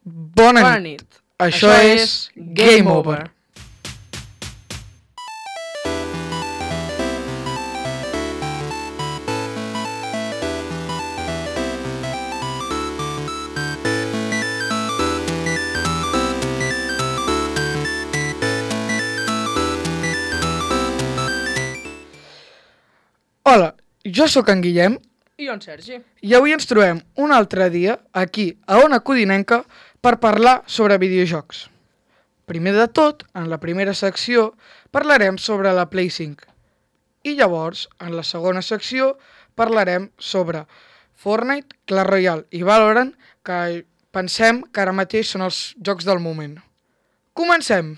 Bona nit. Això és Game Over. Hola, jo sóc en Guillem. I jo en Sergi. I avui ens trobem un altre dia, aquí, a Ona Codinenca, per parlar sobre videojocs. Primer de tot, en la primera secció, parlarem sobre la Play 5. I llavors, en la segona secció, parlarem sobre Fortnite, Clash Royale i Valorant, que pensem que ara mateix són els jocs del moment. Comencem!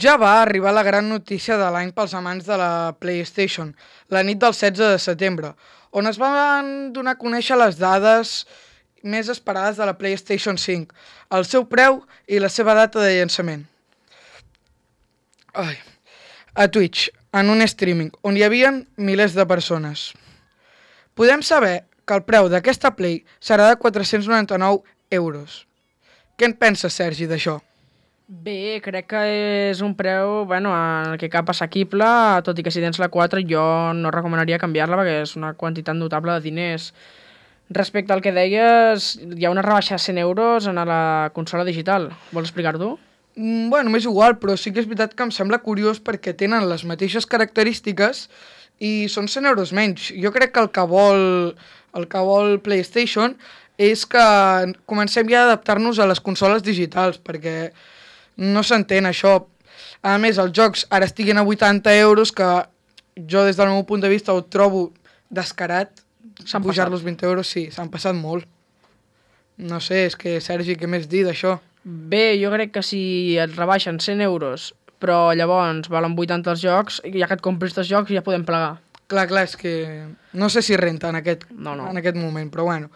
Ja va arribar la gran notícia de l'any pels amants de la PlayStation, la nit del 16 de setembre, on es van donar a conèixer les dades més esperades de la PlayStation 5, el seu preu i la seva data de llançament. A Twitch, en un streaming, on hi havia milers de persones. Podem saber que el preu d'aquesta Play serà de 499 euros. Què en penses, Sergi, d'això? Bé, crec que és un preu, en el que cap assequible, tot i que si tens la 4 jo no recomanaria canviar-la perquè és una quantitat notable de diners. Respecte al que deies, hi ha una rebaixa de 100 euros en la consola digital. Vols explicar-t'ho? M'és igual, però sí que és veritat que em sembla curiós perquè tenen les mateixes característiques i són 100 euros menys. Jo crec que el que vol PlayStation és que comencem ja a adaptar-nos a les consoles digitals, perquè no s'entén això. A més, els jocs ara estiguin a 80 euros, que jo des del meu punt de vista ho trobo descarat. Pujar-los 20 euros, sí, s'han passat molt. No sé, és que, Sergi, què més dir d'això? Bé, jo crec que si et rebaixen 100 euros, però llavors valen 80 els jocs, ja que et compris els jocs ja podem plegar. Clar, és que no sé si renta en aquest moment, però bueno.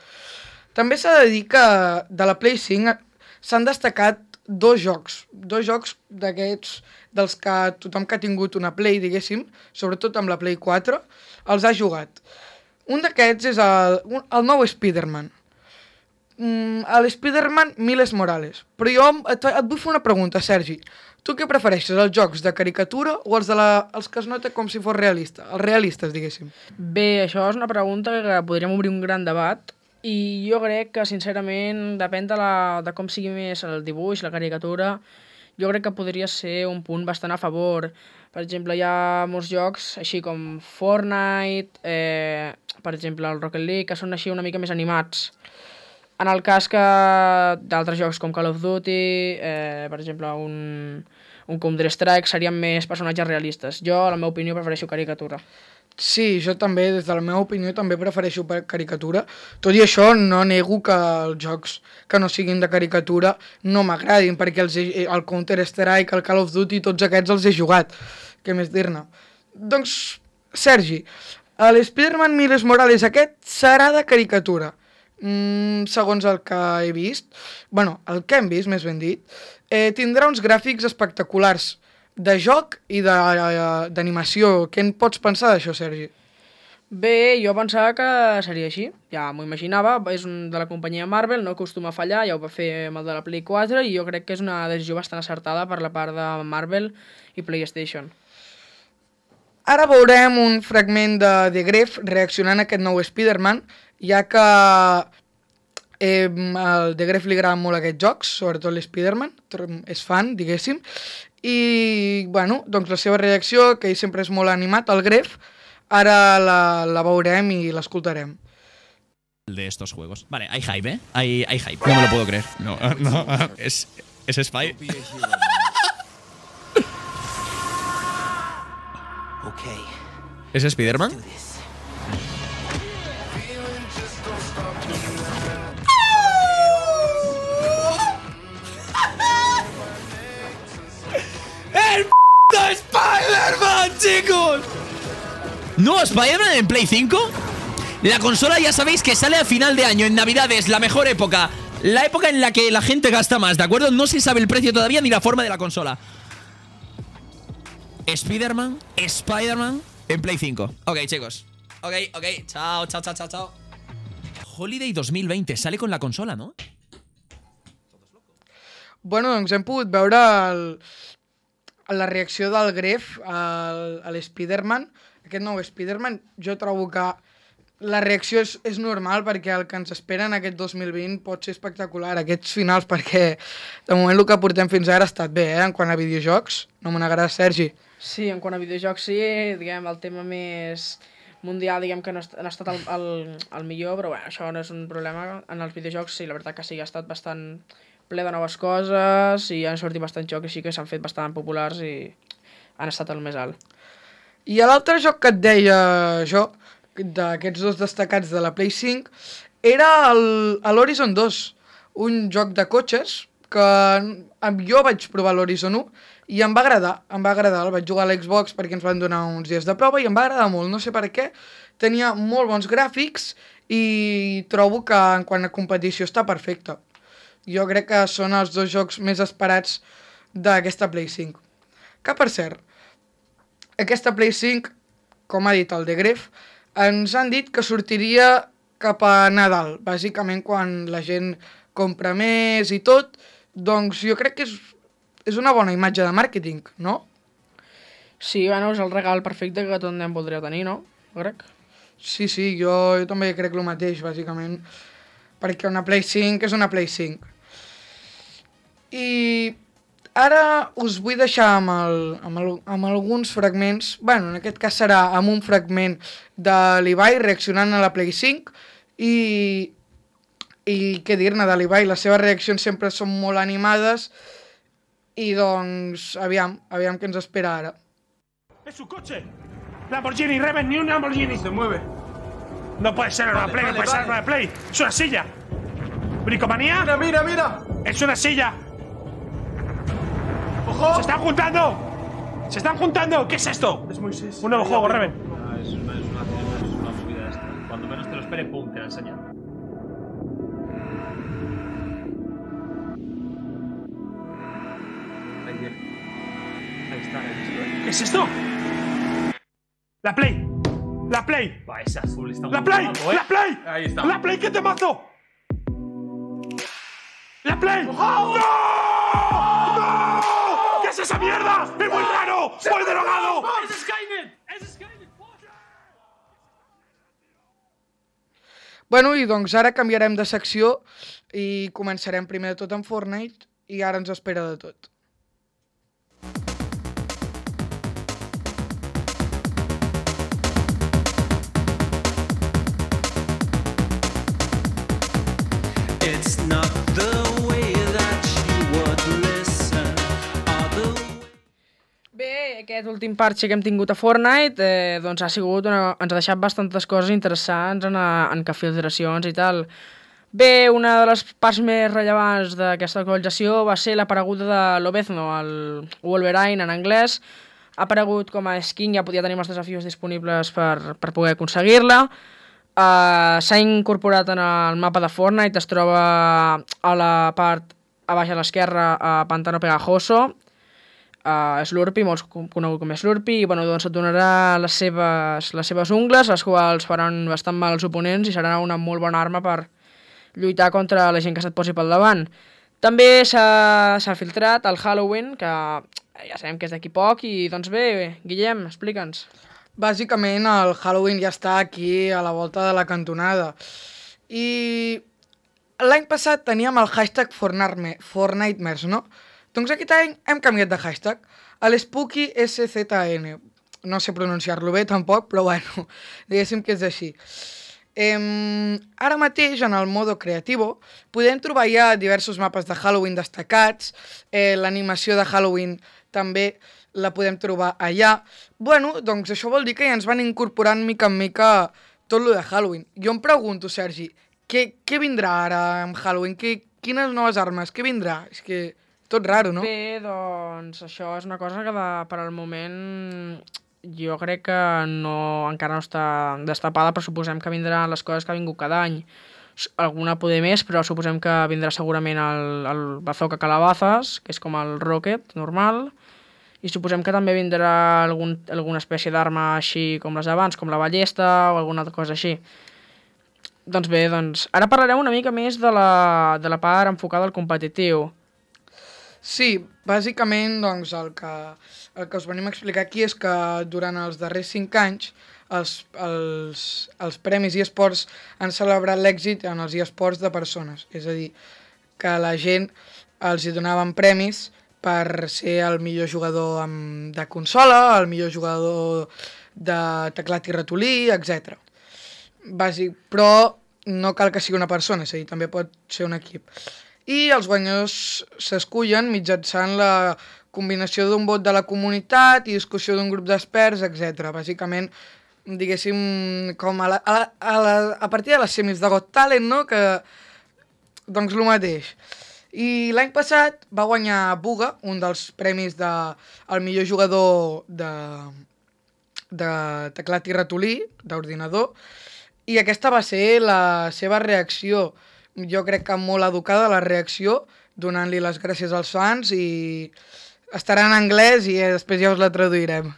També s'ha de dir que de la Play 5 s'han destacat dos jocs d'aquests dels que tothom que ha tingut una Play, diguéssim, sobretot amb la Play 4, els ha jugat. Un d'aquests és el nou Spider-Man. L'Spider-Man Miles Morales. Però jo et vull fer una pregunta, Sergi. Tu què prefereixes, els jocs de caricatura o els que es nota com si fos realista? Els realistes, diguéssim. Bé, això és una pregunta que podríem obrir un gran debat. I jo crec que, sincerament, depèn de com sigui més el dibuix, la caricatura, jo crec que podria ser un punt bastant a favor. Per exemple, hi ha molts jocs, així com Fortnite, per exemple, el Rocket League, que són així una mica més animats. En el cas que d'altres jocs com Call of Duty, per exemple, un Counter-Strike, serien més personatges realistes. Jo, a la meva opinió, prefereixo caricatura. Sí, jo també, des de la meva opinió, també prefereixo caricatura. Tot i això, no nego que els jocs que no siguin de caricatura no m'agradin, perquè el Counter-Strike, el Call of Duty, tots aquests els he jugat. Què més dir-ne? Doncs, Sergi, l'Spider-Man Miles Morales aquest serà de caricatura. Segons el que he vist, el que hem vist, més ben dit, tindrà uns gràfics espectaculars de joc i d'animació. Què en pots pensar d'això, Sergi? Bé, jo pensava que seria així, ja m'ho imaginava, és de la companyia Marvel, no acostuma a fallar, ja ho va fer amb el de la Play 4 i jo crec que és una decisió bastant acertada per la part de Marvel i PlayStation. Ara veurem un fragment de The Gref reaccionant a aquest nou Spider-Man, ja que al The Gref li agraden molt aquests jocs, sobretot l'Spider-Man, és fan, diguéssim, i doncs la seva reacció, que ell sempre és molt animat, el Gref, ara la veurem i l'escoltarem. De estos juegos. Vale, hay hype, ¿eh? Hay hype. No me lo puedo creer. No. Es Spy. ¿Es Spider-Man? ¡El Spider-Man, chicos! ¿No Spider-Man en Play 5? La consola ya sabéis que sale a final de año, en Navidades, la mejor época La época en la que la gente gasta más, ¿de acuerdo? No se sabe el precio todavía ni la forma de la consola. Spider-Man en Play 5. Ok, chicos. Ok. Chao. Holiday 2020. Sale con la consola, ¿no? Bueno, doncs hem pogut veure la reacció del Gref a l'Spider-Man. Aquest nou Spider-Man, jo trobo que la reacció és normal perquè el que ens espera en aquest 2020 pot ser espectacular, aquests finals, perquè de moment el que portem fins ara ha estat bé, en quant a videojocs. No me n'agrada, Sergi. Sí, en quant a videojocs sí, diguem, el tema més mundial, diguem que no ha estat el millor, però bueno, això no és un problema. En els videojocs sí, la veritat que sí, ha estat bastant ple de noves coses i han sortit bastant jocs així que s'han fet bastant populars i han estat el més alt. I l'altre joc que et deia jo, d'aquests dos destacats de la Play 5, era l'Horizon 2, un joc de cotxes que jo vaig provar l'Horizon 1 i em va agradar, el vaig jugar a l'Xbox perquè ens van donar uns dies de prova i em va agradar molt, no sé per què, tenia molt bons gràfics i trobo que en quant a competició està perfecte. Jo crec que són els dos jocs més esperats d'aquesta Play 5. Que per cert, aquesta Play 5, com ha dit el de Gref, ens han dit que sortiria cap a Nadal, bàsicament quan la gent compra més i tot, doncs jo crec que és una bona imatge de màrqueting, no? Sí, bueno, és el regal perfecte que tot nen voldria tenir, no? Crec. Sí, jo també crec el mateix, bàsicament, perquè una Play 5 és una Play 5. I ara us vull deixar amb alguns fragments, bueno, en aquest cas serà amb un fragment de l'Ibai reaccionant a la Play 5 i què dir-ne de l'Ibai, les seves reaccions sempre són molt animades i doncs aviam què ens espera ara. ¡Es su coche! ¡Lamborghini, Reven! ¡Ni un Lamborghini! ¡Se mueve! No puede ser una Play, no puede ser una Play. ¡Es una silla! ¿Bricomanía? ¡Mira! ¡Es una silla! ¡Ojo! ¡Se están juntando! ¡Se están juntando! ¿Qué es esto? Es Moisés. Un nuevo juego, Reven. Es una movida esta. Cuando menos te lo espere, pum, te la enseña. Ahí está. ¿Qué es esto? ¡La Play! ¡La Play! Va, ese azul está muy ¡La Play! guapo, ¡La Play! Ahí está. ¡La Play! ¡Qué temazo! ¡La Play! ¡No! ¡No! ¿Qué es esa mierda? ¡Es muy raro! ¡Muy drogado! ¡Es Skynet! ¡Es Skynet! Bueno, i doncs ara canviarem de secció i començarem primer de tot amb Fortnite i ara ens espera de tot. It's not the way that you would listen or the way... Bé, aquest últim parche que hem tingut a Fortnite doncs ha sigut ens ha deixat bastantes coses interessants en que filtracions i tal. Bé, una de les parts més rellevants d'aquesta actualització va ser l'apareguda de Lobezno, el Wolverine en anglès. Ha aparegut com a skin, ja podia tenir els desafios disponibles per poder aconseguir-la. S'ha incorporat en el mapa de Fortnite, es troba a la part a baix a l'esquerra a Pantano Pegajoso, Slurpee, molt conegut com Slurpee, i bueno, doncs et donarà les seves ungles, les quals faran bastant mal als oponents i serà una molt bona arma per lluitar contra la gent que se't posi pel davant. També s'ha filtrat el Halloween, que ja sabem que és d'aquí poc, i doncs bé, Guillem, explica'ns. Bàsicament el Halloween ja està aquí a la volta de la cantonada. I l'any passat teníem el hashtag Fortnitemares, no? Doncs aquest any hem canviat de hashtag. L'Spooky SZN. No sé pronunciar-lo bé tampoc, però bueno, diguéssim que és així. Ara mateix, en el modo creativo, podem trobar ja diversos mapes de Halloween destacats, l'animació de Halloween també la podem trobar allà. Bueno, doncs això vol dir que ja ens van incorporant mica en mica tot lo de Halloween. Jo em pregunto, Sergi, què vindrà ara amb Halloween? Quines noves armes? Què vindrà? És que tot raro, no? Bé, doncs això és una cosa que per al moment jo crec que encara no està destapada, però suposem que vindran les coses que ha vingut cada any. alguna poder més, però suposem que vindrà segurament el Bazooka Calabazas, que és com el Rocket normal, i suposem que també vindrà alguna espècie d'arma així com les d'abans, com la ballesta o alguna altra cosa així. Doncs bé, ara parlarem una mica més de la part enfocada al competitiu. Sí, bàsicament doncs, el que us venim a explicar aquí és que durant els darrers 5 anys els premis eSports han celebrat l'èxit en els eSports de persones. És a dir, que la gent els hi donaven premis per ser el millor jugador de consola, el millor jugador de teclat i ratolí, etc. Però no cal que sigui una persona, és a dir, també pot ser un equip. I els guanyadors s'escullen mitjançant la combinació d'un vot de la comunitat i discussió d'un grup d'experts, etc. Bàsicament, diguéssim, com a partir de les semis de Got Talent, no? Que, doncs, el mateix. I l'any passat va guanyar Buga, un dels premis del millor jugador de teclat i ratolí, d'ordinador, i aquesta va ser la seva reacció. Jo crec que molt educada la reacció, donant-li les gràcies als fans, i estarà en anglès i després ja us la traduirem.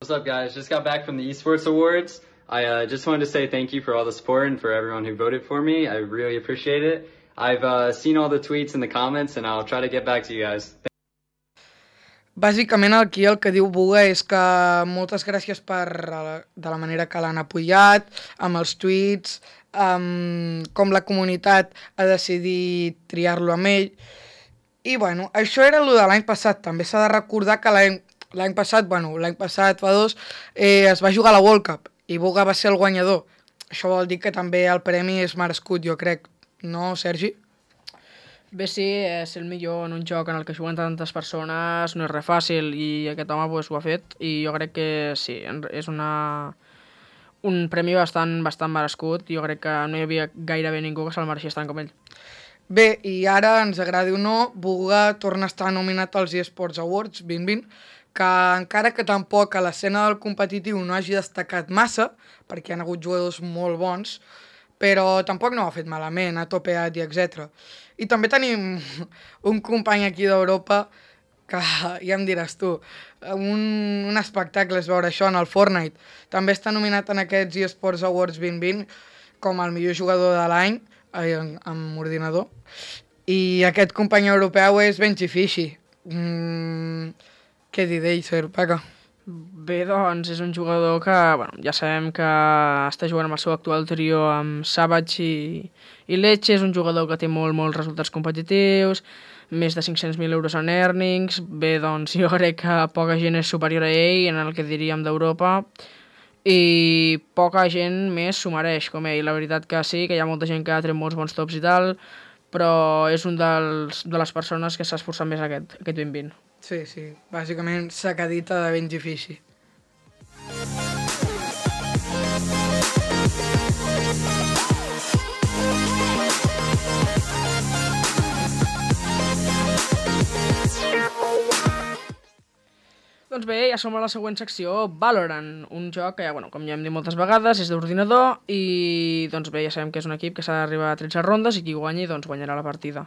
What's up, guys? Just got back from the Esports Awards. I just wanted to say thank you for all the support and for everyone who voted for me. I really appreciate it. I've seen all the tweets and the comments, and I'll try to get back to you guys. Bàsicament aquí el que diu Buga és que moltes gràcies de la manera que l'han apoyat, amb els tuits, com la comunitat ha decidit triar-lo amb ell. I bueno, això era el de l'any passat. També s'ha de recordar que l'any passat, fa 2, es va jugar a la World Cup i Buga va ser el guanyador. Això vol dir que també el premi és merescut, jo crec. No, Sergi? Bé, sí, ser el millor en un joc en el que juguen tantes persones no és res fàcil i aquest home pues, ho ha fet i jo crec que sí, és un premi bastant merescut. Jo crec que no hi havia gairebé ningú que se'l mereixés tant com ell. Bé, i ara, ens agradi o no, Buga torna a estar nominat als eSports Awards 2020, que encara que tampoc a l'escena del competitiu no hagi destacat massa, perquè hi ha hagut jugadors molt bons, però tampoc no ho ha fet malament, ha topeat i etc. I també tenim un company aquí d'Europa que ja em diràs tu, un espectacle és veure això en el Fortnite. També està nominat en aquests eSports Awards 2020 com el millor jugador de l'any amb ordinador. I aquest company europeu és Benji Fishy. Què dir d'ell, Sir Paca? Bé, doncs, és un jugador que, ja sabem que està jugant amb el seu actual trio amb Savage i Leche. És un jugador que té molts resultats competitius, més de 500.000 euros en earnings. Bé, doncs, jo crec que poca gent és superior a ell en el que diríem d'Europa i poca gent més s'ho mereix com ell. La veritat que sí, que hi ha molta gent que ha tret molts bons tops i tal, però és un de les persones que s'ha esforçat més aquest 2020. Sí, bàsicament sacadita de Benji Fishy. Doncs bé, ja som a la següent secció, Valorant, un joc que, com ja hem dit moltes vegades, és d'ordinador i doncs bé, ja sabem que és un equip que s'ha d'arribar a 13 rondes i qui guanyi doncs guanyarà la partida.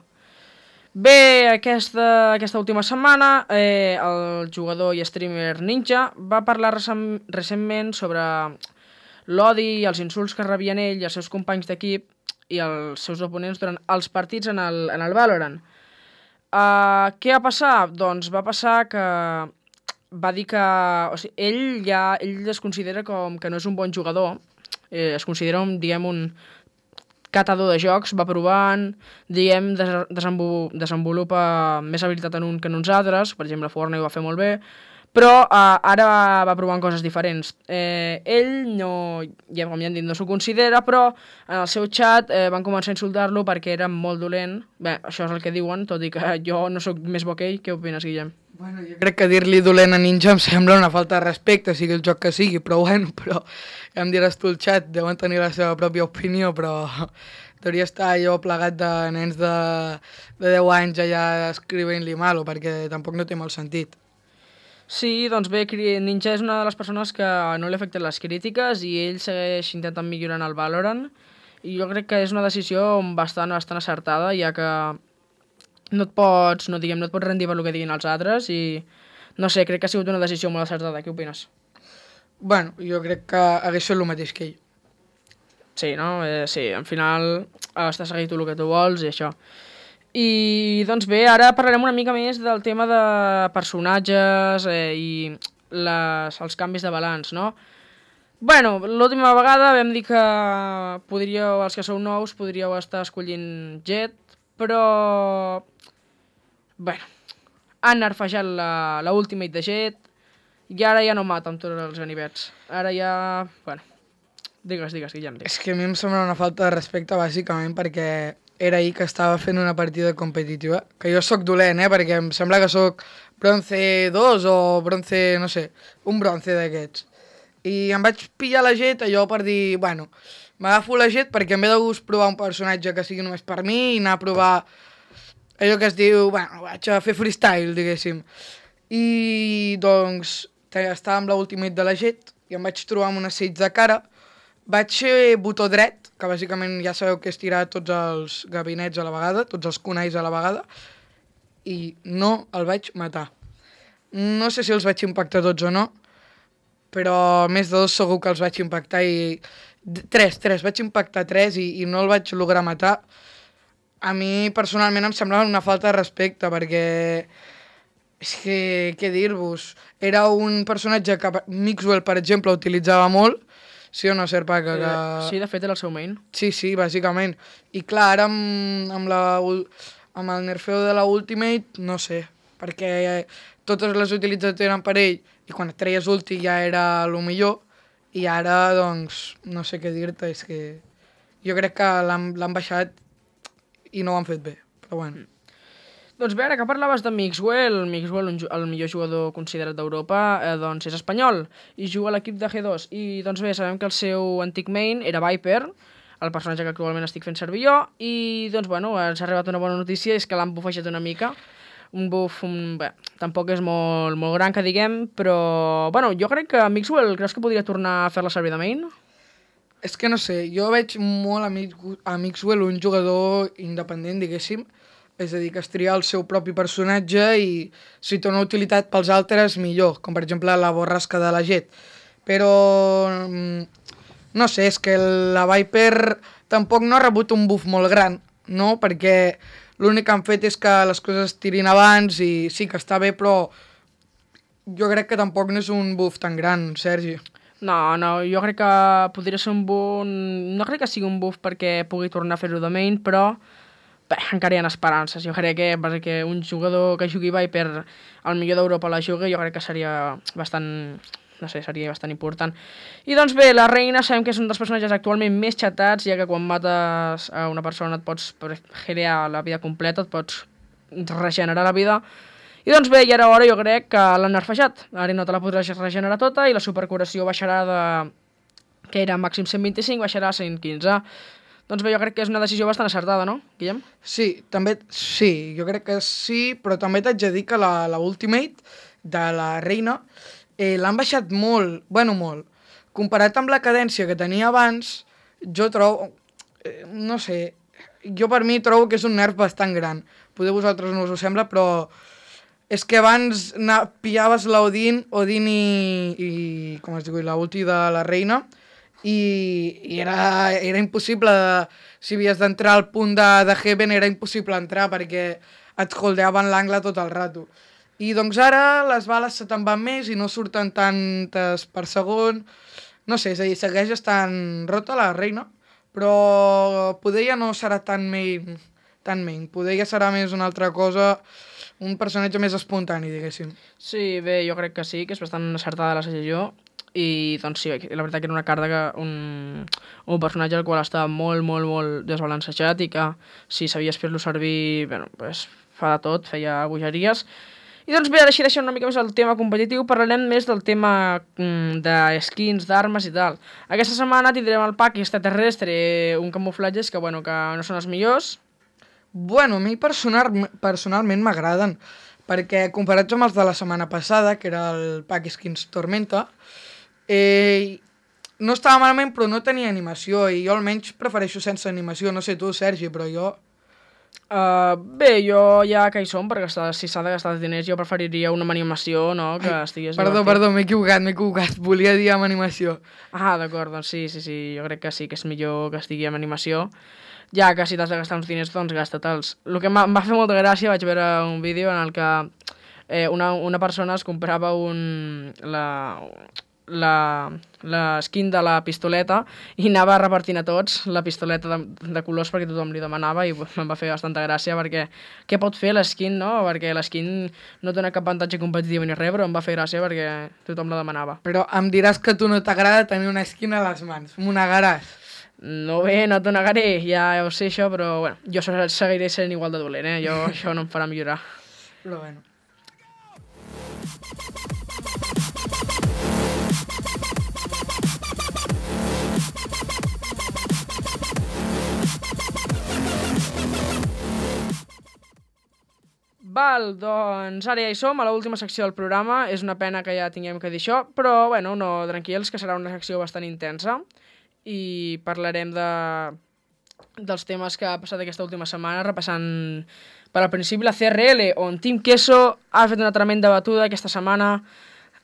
Bé, aquesta última setmana el jugador i streamer Ninja va parlar recentment sobre l'odi i els insults que rebien ell i els seus companys d'equip i els seus oponents durant els partits en el Valorant. Què va passar? Doncs va passar que va dir que ell es considera com que no és un bon jugador, es considera un catador de jocs, va provant, desenvolupa més habilitat en un que en uns altres, per exemple Fortnite ho va fer molt bé, però ara va provant coses diferents. Ell com ja hem dit, no s'ho considera, però en el seu xat van començar a insultar-lo perquè era molt dolent. Bé, això és el que diuen, tot i que jo no sóc més bo que ell. Què opines, Guillem? Bueno, jo crec que dir-li dolent a Ninja em sembla una falta de respecte, sigui el joc que sigui, però ja em diràs tu el xat, deuen tenir la seva pròpia opinió, però hauria estar jo plegat de nens de 10 anys allà escrivint-li malo, perquè tampoc no té molt sentit. Sí, doncs bé, Ninja és una de les persones que no li afecten les crítiques i ell segueix intentant millorar en el Valorant I jo crec que és una decisió bastant acertada, ja que no et pots rendir per el que diguin els altres i, no sé, crec que ha sigut una decisió molt acertada. Què opines? Bueno, jo crec que hagués fet el mateix que ell. Sí, no? Sí, al final has de seguir tu el que tu vols i això. I, doncs bé, ara parlarem una mica més del tema de personatges i els canvis de balanç, no? Bueno, l'última vegada vam dir que els que sou nous podríeu estar escollint Jet, però... Bueno, han nerfejat la Ultimate de Jet i ara ja no mata amb tots els ganivets. Ara ja... Bueno, digues, Guillem. És que a mi em sembla una falta de respecte, bàsicament, perquè era ahir que estava fent una partida competitiva, que jo sóc dolent, perquè em sembla que sóc bronze 2 o bronze, no sé, un bronze d'aquests. I em vaig pillar la Jet allò per dir, bueno, m'agafo la Jet perquè em ve de gust provar un personatge que sigui només per mi i anar a provar allò que es diu, bueno, vaig a fer freestyle, diguéssim. I, doncs, estava amb l'Ultimate de la Jet i em vaig trobar amb un assaig de cara. Vaig fer botó dret, que bàsicament ja sabeu que és tirar tots els gabinets a la vegada, tots els kunais a la vegada, i no el vaig matar. No sé si els vaig impactar tots o no, però més de 2 segur que els vaig impactar i... 3, vaig impactar 3 i no el vaig lograr matar. A mi personalment em semblava una falta de respecte perquè... És que, què dir-vos? Era un personatge que Mixwell, per exemple, utilitzava molt. Sí o no, Serpa? Sí, de fet era el seu main. Sí, bàsicament. I clar, ara amb el nerfeo de la Ultimate, no sé, perquè totes les utilitzades eren per ell i quan et treies ulti ja era el millor i ara, doncs, no sé què dir-te, és que jo crec que l'han baixat i no ho han fet bé, però bueno. Doncs bé, ara que parlaves de Mixwell, el millor jugador considerat d'Europa, doncs és espanyol i juga a l'equip de G2. I doncs bé, sabem que el seu antic main era Viper, el personatge que actualment estic fent servir jo, i doncs bueno, ens ha arribat una bona notícia, és que l'han bufejat una mica. Un buff, bé, tampoc és molt gran que diguem, però bueno, jo crec que Mixwell, creus que podria tornar a fer-la servir de main? És que no sé, jo veig molt a Mixwell un jugador independent, diguéssim, és a dir, que es tria el seu propi personatge i si té una utilitat pels altres, millor, com per exemple la borrasca de la Jet. Però, no sé, és que la Viper tampoc no ha rebut un buff molt gran, no? Perquè l'únic que han fet és que les coses es tirin abans i sí que està bé, però jo crec que tampoc no és un buff tan gran, Sergi. No, jo crec que podria ser un buff... No crec que sigui un buff perquè pugui tornar a fer-ho de main, però... Bé, encara hi ha esperances. Jo crec que un jugador que jugui Viper al millor d'Europa la jugui, jo crec que seria bastant... No sé, seria bastant important. I doncs bé, la Reina sabem que és un dels personatges actualment més xatats, ja que quan mates a una persona et pots herear la vida completa, et pots regenerar la vida. I doncs bé, ja era hora, jo crec que l'han nerfejat. Ara no te la podràs regenerar tota i la supercuració baixarà de... que era màxim 125, baixarà a 115. Doncs bé, jo crec que és una decisió bastant acertada, no, Guillem? Sí, jo crec que sí, però també t'haig de dir que la Ultimate de la Reina l'han baixat molt, molt. Comparat amb la cadència que tenia abans, jo trobo, no sé, jo per mi trobo que és un nerf bastant gran. Potser vosaltres no us ho sembla, però és que abans pillaves l'Odin i com es diu, la ulti de la Reina, i era impossible, si havies d'entrar al punt de Heaven era impossible entrar perquè et holdeaven l'angle tot el rato. I doncs ara les bales se te'n van més i no surten tantes per segon. No sé, és a dir, segueix estant rota la Reina, però poder ja no serà tan main. Poder ja serà més una altra cosa, un personatge més espontani, diguéssim. Sí, bé, jo crec que sí, que és bastant acertada la decisió. I doncs sí, la veritat que era una carta, un personatge al qual estava molt desbalancejat i que si sabies fer-lo servir, bueno, pues, fa de tot, feia bogeries. I doncs bé, ara així deixem una mica més el tema competitiu, parlarem més del tema de skins, d'armes i tal. Aquesta setmana tindrem el pack extraterrestre, un camuflatges que, bueno, que no són els millors. Bueno, a mi personalment m'agraden, perquè comparats amb els de la setmana passada, que era el pack skins Tormenta, no estava malament, però no tenia animació, i jo almenys prefereixo sense animació. No sé tu, Sergi, però jo... Bé, jo ja que hi som, perquè si s'ha de gastar els diners, jo preferiria una amb animació, no?, que estigués Perdó, m'he equivocat. Volia dir amb animació. Ah, d'acord, doncs sí, jo crec que sí que és millor que estigui amb animació. Ja que si t'has de gastar uns diners, doncs gasta-te'ls. El que em va fer molta gràcia, vaig veure un vídeo en el que una persona es comprava la skin de la pistoleta i anava repartint a tots la pistoleta de colors perquè tothom li demanava, i em va fer bastanta gràcia perquè què pot fer l'eskin, no? Perquè l'eskin no dona cap avantatge competitiu ni res, però em va fer gràcia perquè tothom la demanava. Però em diràs que a tu no t'agrada tenir una skin a les mans. M'ho negaràs. No, bé, no t'ho negaré, ja ho sé això, però bueno, jo seguiré sent igual de dolent, això no em farà millorar. Però bueno. Val, doncs ara ja hi som, a l'última secció del programa. És una pena que ja tinguem que dir això, però bueno, no, tranquils, que serà una secció bastant intensa i parlarem dels temes que ha passat aquesta última setmana, repassant per al principi la CRL, on Team Queso ha fet una tremenda batuda aquesta setmana.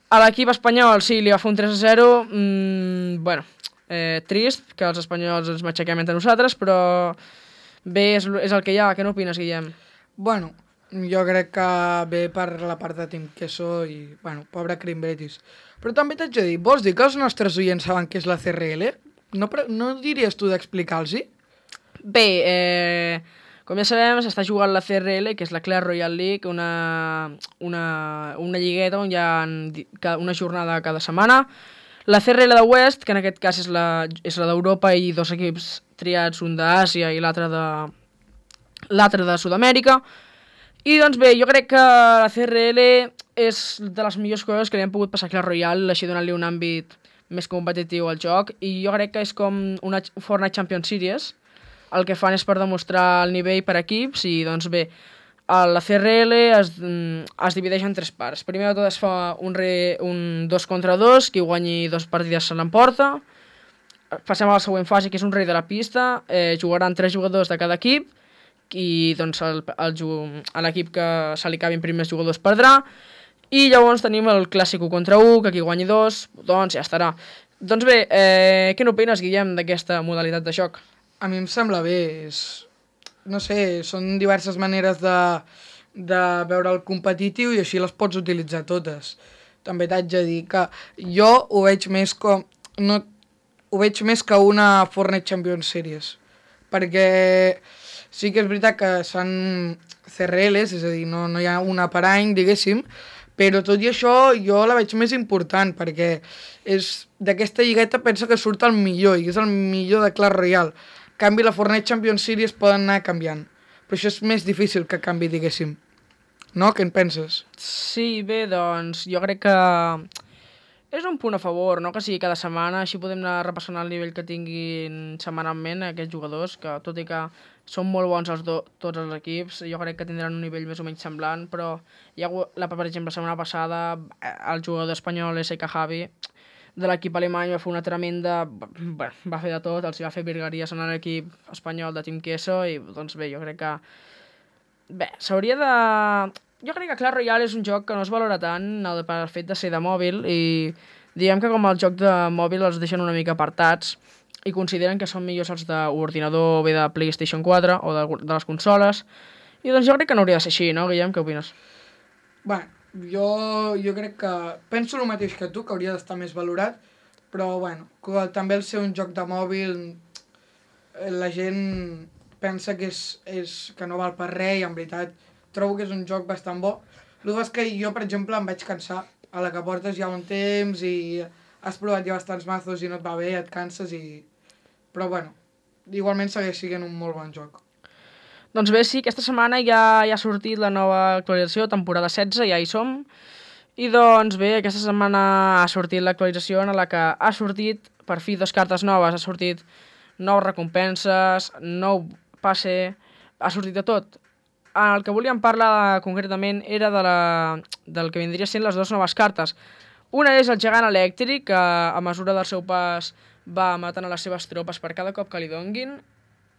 A l'equip espanyol sí, li va fer un 3-0, bueno, trist que els espanyols ens matxaquem entre nosaltres, però bé, és el que hi ha. Què n'opines, Guillem? Bueno, jo crec que ve per la part de Team Queso i, bueno, pobre Crimbetis. Però també t'haig de dir, vols dir que els nostres oients saben què és la CRL? No diries tu d'explicar-los-hi? Bé, com ja sabem, s'està jugant la CRL, que és la Clash Royale League, una lligueta on hi ha una jornada cada setmana. La CRL de West, que en aquest cas és la d'Europa i dos equips triats, un d'Àsia i l'altre de Sud-amèrica. I doncs bé, jo crec que la CRL és de les millors coses que li han pogut passar a Clash Royale, així donant-li un àmbit més competitiu al joc, i jo crec que és com una Fortnite Champions Series. El que fan és per demostrar el nivell per equips i, doncs bé, la CRL es divideix en tres parts. Primer de tot es fa un 2 contra 2, qui guanyi 2 partides se l'emporta. Passem a la següent fase, que és un rei de la pista. Jugaran 3 jugadors de cada equip i doncs l'equip que se li acabin primers jugadors perdrà. I llavors tenim el clàssic 1 contra 1, que qui guanyi 2, doncs ja estarà. Doncs bé, què n'opines, Guillem, d'aquesta modalitat de joc? A mi em sembla bé, no sé, són diverses maneres de veure el competitiu i així les pots utilitzar totes. També t'haig de dir que jo ho veig més que una Fortnite Champions Series, perquè sí que és veritat que són CRLs, és a dir, no hi ha una per any, diguéssim, però tot i això jo la veig més important, perquè d'aquesta lligueta pensa que surt el millor, i és el millor de Clash Royale. En canvi, la Fortnite Champions Series poden anar canviant, però això és més difícil que canvi, diguéssim. No? Què en penses? Sí, bé, doncs jo crec que és un punt a favor, no? Que sigui cada setmana, així podem anar repassant el nivell que tinguin setmanalment aquests jugadors, que tot i que són molt bons tots els equips, jo crec que tindran un nivell més o menys semblant, però per exemple, la setmana passada el jugador espanyol S.K. Javi de l'equip alemany va fer una tremenda... va fer de tot, els va fer virgueries en l'equip espanyol de Team Queso i doncs bé, jo crec que... Bé, s'hauria de... Jo crec que Clash Royale és un joc que no es valora tant per fet de ser de mòbil i diguem que com el joc de mòbil els deixen una mica apartats i consideren que són millors els d'ordinador o bé de PlayStation 4 o de les consoles. I doncs jo crec que no hauria de ser així, no, Guillem? Què opines? Bé, jo crec que penso el mateix que tu, que hauria d'estar més valorat, però bueno, també al ser un joc de mòbil la gent pensa que que no val per res i en veritat trobo que és un joc bastant bo. El que és que jo, per exemple, em vaig cansar a la que portes ja un temps i has provat ja bastants mazos i no et va bé, et canses i... Però bueno, igualment segueix sent un molt bon joc. Doncs bé, sí, aquesta setmana ja ha sortit la nova actualització, temporada 16, ja hi som. I doncs bé, aquesta setmana ha sortit l'actualització en la que ha sortit, per fi, 2 cartes noves. Ha sortit 9 recompenses, 9 passe, ha sortit de tot. El que volíem parlar concretament era del que vindria sent les 2 noves cartes. Una és el gegant elèctric, que a mesura del seu pas va matant a les seves tropes per cada cop que li donguin,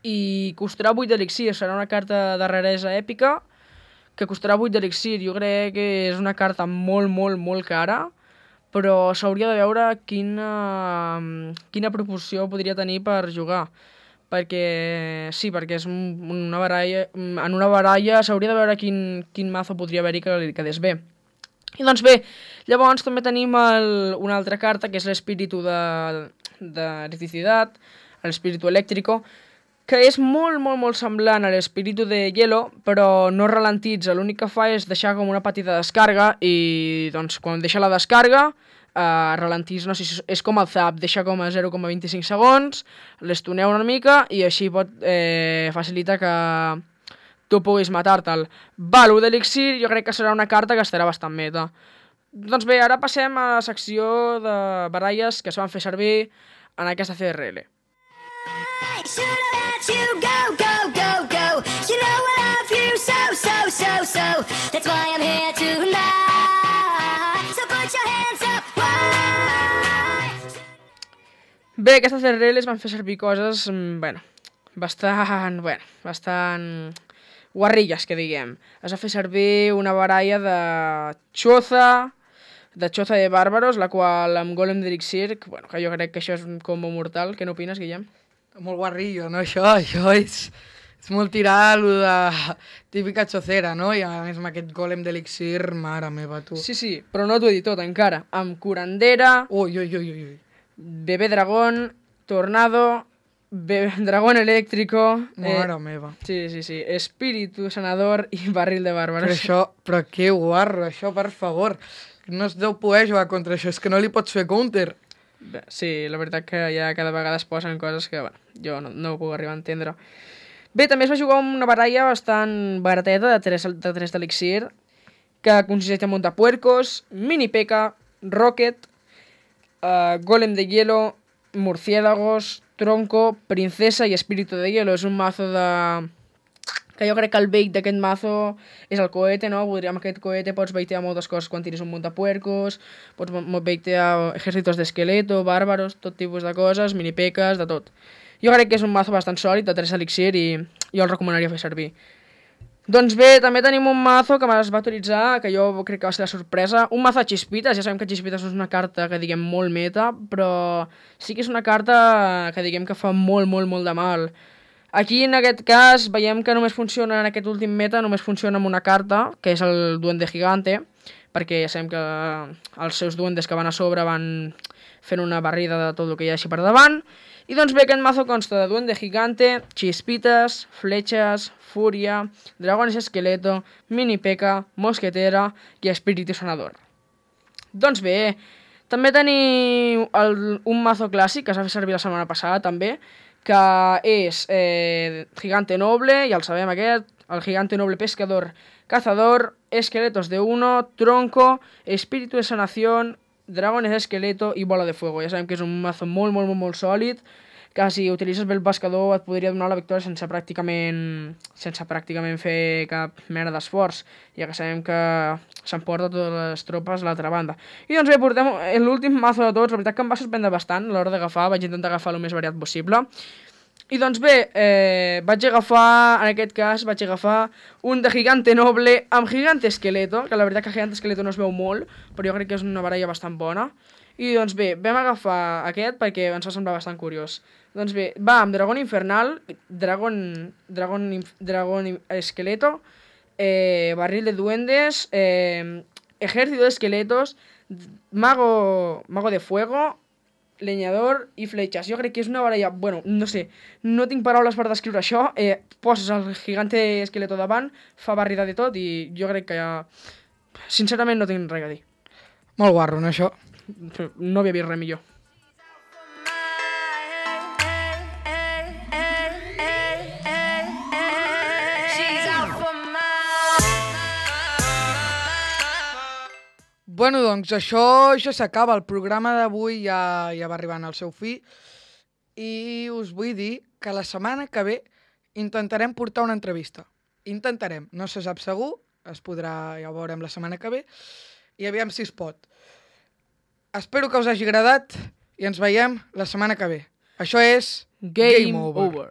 i costarà 8 d'elixir, serà una carta de raresa èpica, que costarà 8 d'elixir. Jo crec que és una carta molt, molt, molt cara, però s'hauria de veure quina proporció podria tenir per jugar. Perquè sí, perquè és una baralla... En una baralla s'hauria de veure quin mazo podria haver-hi que li quedés bé. I doncs bé, llavors també tenim una altra carta, que és l'espíritu d'electricitat, l'espíritu elèctrico, que és molt, molt, molt semblant a l'espíritu de hielo, però no ralentitza. L'únic que fa és deixar com una petita descàrrega i doncs quan deixa la descàrrega ralentís, no sé, és com el zap, deixa com a 0,25 segons, l'estoneu una mica i així pot facilitar que tu puguis matar-te'l. Val, 1 d'elixir, jo crec que serà una carta que estarà bastant meta. Doncs bé, ara passem a la secció de baralles que es van fer servir en aquesta CRL. Bé, aquestes CRL es van fer servir coses, bastant guarrilles, que diguem. Es va fer servir una baralla de xoza de bàrbaros, la qual amb golem d'elixir, que jo crec que això és un combo mortal. Què n'opines, Guillem? Molt guarrillo, no, això és molt tirar lo de típica xocera, no? I a més amb aquest golem d'elixir, mare meva, tu. Sí, però no t'ho he dit tot encara. Amb curandera, Ui. bebé dragón, tornado, dragón eléctrico... Mare meva. Sí, espíritu sanador i barril de bàrbaros. Però que guarro, això, per favor. No es deu poder jugar contra això, és que no li pots fer counter. Bé, sí, la veritat que ja cada vegada es posen coses que jo no ho puc arribar a entendre. Bé, també es va jugar una baralla bastant barateta de 3 d'elixir, que consisteix en montapuercos, mini P.E.K.K.A, Rocket, golem de hielo, murciélagos, tronco, princesa i espíritu de hielo. És un mazo que jo crec que el bait d'aquest mazo és el cohete, no? Amb aquest cohete pots baitear moltes coses quan tiris un montapuercos, pots baitear ejércitos d'esqueleto, bàrbaros, tot tipus de coses, mini P.E.K.K.As, de tot. Jo crec que és un mazo bastant sòlid, de 3 elixir, i jo el recomanaria fer servir. Doncs bé, també tenim un mazo que es va autoritzar, que jo crec que va ser la sorpresa, un mazo de Chispitas. Ja sabem que Chispitas no és una carta que diguem molt meta, però sí que és una carta que diguem que fa molt, molt, molt de mal. Aquí, en aquest cas, veiem que només funciona, en aquest últim meta, només funciona amb una carta, que és el Duende Gigante, perquè ja sabem que els seus duendes que van a sobre van fent una barrida de tot el que hi ha així per davant. I doncs bé, aquest mazo consta de Duende Gigante, Chispitas, Fletxes, Fúria, Dragones Esqueleto, Mini P.E.K.K.A, Mosquetera i Espíritu Sanador. Doncs bé, també tenim un mazo clàssic que s'ha fet servir la setmana passada també, que és Gigante Noble, ja el sabem aquest, el Gigante Noble Pescador, Cazador, Esqueletos de 1, Tronco, Espíritu de Sanación, Dragones de Esqueleto i Bola de Fuego. Ja sabem que és un mazo molt, molt, molt, molt sòlid, que si utilitzes bé el pescador et podria donar la victòria sense pràcticament fer cap mena d'esforç, ja que sabem que s'emporta totes les tropes a l'altra banda. I doncs bé, portem l'últim mazo de tots. La veritat que em va sorprendre bastant a l'hora d'agafar, vaig intentar agafar el més variat possible. I doncs bé, en aquest cas vaig agafar un de Gigante Noble amb Gigante Esqueleto, que la veritat que Gigante Esqueleto no es veu molt, però jo crec que és una baralla bastant bona. I doncs bé, vam agafar aquest perquè ens va semblar bastant curiós. Doncs bé, va amb Dragón Infernal, Dragón Esqueleto, Barril de Duendes, Ejército de Esqueletos, Mago de Fuego, Leñador i Fletxes. Jo crec que és una baralla... no sé, no tinc paraules per descriure això. Poses el Gigante Esqueleto davant, fa barrida de tot i jo crec que ja... Sincerament no tinc res a dir. Molt guarro, no, això? No havia vist res millor. Bueno, doncs això ja s'acaba. El programa d'avui ja va arribant al seu fi i us vull dir que la setmana que ve intentarem portar una entrevista. Intentarem, no se sap segur, es podrà, ja ho veurem la setmana que ve, i aviam si es pot. espero que us hagi agradat i ens veiem la setmana que ve. Això és Game over.